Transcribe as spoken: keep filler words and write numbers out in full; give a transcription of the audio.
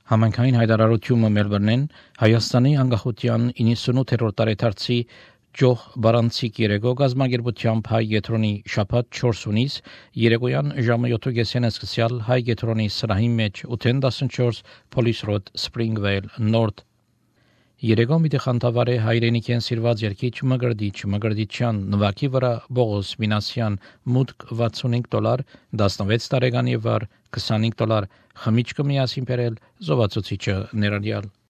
Համանքային հայտարարությունը Մելբուրնեն Հայաստանի անկախության իննսունութերորդ տարեդարձի Ջոխ Բարանցիկ երեկո գազագերբությամբ հայ գետրոնի շաբաթ չորսունից երեկոյան ժամը յոթ սկսյալ հայ գետրոնի սրահի մեջ ութ տասնչորս Police Road Springvale North Երեկո մի խանդավառ է հայրենիքեն սիրված երկիչ Մգրդիչ Մգրդիչյան նվակի վրա Բողոս Մինասյան մուտք վաթսունհինգ դոլար տասնվեց տարեկանի վար քսանհինգ դոլար խմիչքը միասին բերել զովացուցիչը ներառյալ